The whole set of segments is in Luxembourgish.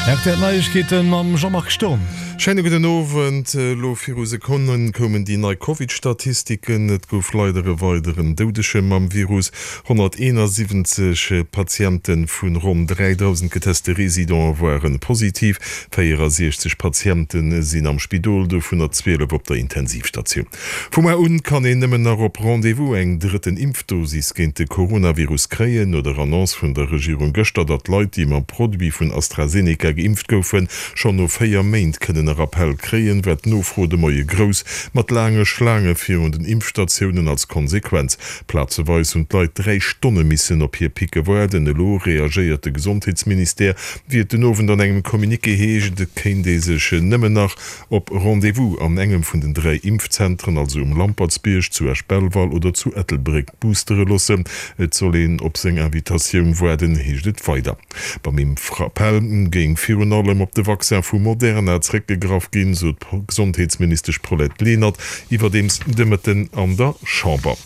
Rtl Neiegkeeten mam Jean-Marc Sturm. Schéine gudden Owend. Elo viru Sekonne koumen déi nei Covid-Statistiken. Et gouf leider e weideren Doudege mam Virus. 171 Patiente vu ronn 3.000 geteste Residente ware positiv. 64 Patiente sinn am Spidol, dovunner 12 op der Intensivstatioun. Vu mar un kann een nëmmen nach op Rendez-vous eng drëtten Impfdosis géint de Coronavirus kréien. No der Annonce vun der Regierung gëschter, datt Leit, déi mam Produit vun AstraZeneca geimpft goufen, schonn no 4 Méint kënnen e Rappell kréien, war d'Nofro de Moie grouss, mat laange Schlaange virun den Impfstatiounen als Konsequenz. Plazeweis hunn d'Leit 3 Stonne missen op hir Picke waarden. Elo reagéiert de Gesondheetsministère. Wéi et den Owend an engem Communiqué heescht, kéint ee sech nëmmen nach Op Rendez-vous an engem vun den 3 Impfzentren, also um Lampertsbierg, zu Esch-Belval oder zu Ettelbréck boostere loossen. Et soll een op seng Invitatioun waarden, heescht et weider. Beim Impfrappell géing virun allem op de Vaccin vu Moderna zréckgegraff ginn, sot d'Gesondheetsministesch Paulette Lenert iwwerdeems de Mëtten an der Chamber.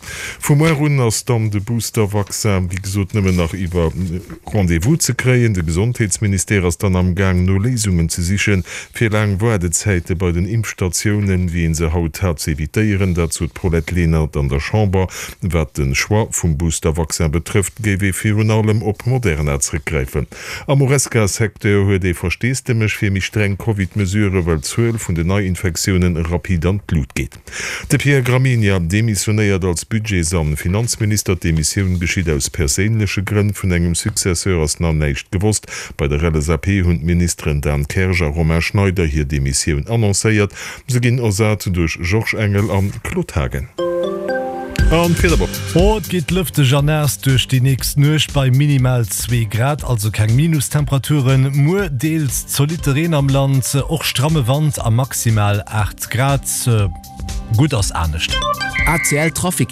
Vu muer un ass dann de Booster-Vaccin wéi gesot nëmmen nach iwwer Rendez-vous ze kréien. De Gesondheetsministère ass dann am Gaang no Léisungen ze sichen, fir laang Waardezäite bei den Impfstatiounen, wéi ee se haut hat, ze evitéieren. Dat sot d'Paulette Lenert an der Chamber. Wat de Choix vum Booster-Vaccin betrëfft, géif ee virun allem op Moderna zréckgräifen. Am Horesca-Secteur huet ee Versteesdemech fir méi streng Covid-Mesurë, well d'Zuel vun den Neiinfektiounen rapid an d'Lut geet. De Pierre Gramegna demissionéiert als Budgets an Finanzminister. D'Demissioun geschitt aus perséinleche Grënn. Vun engem Successeur ass nach näischt gewosst. Bei der LSAP hunn d'Ministeren Dan Kersch a Romain Schneider hir Demissioun annoncéiert. Se ginn ersat duerch Georges Engel an Claude Haagen. An d'Wiederwoch. Oh, et geet lëfteg a naass duerch déi nächst Nuecht bei minimal 2 Grad, also keng Minustemperaturen. Muer deels zolitte Reen am Land, och stramme Wand a maximal 8 Grad. Gutt ass anescht. ACL Trafic.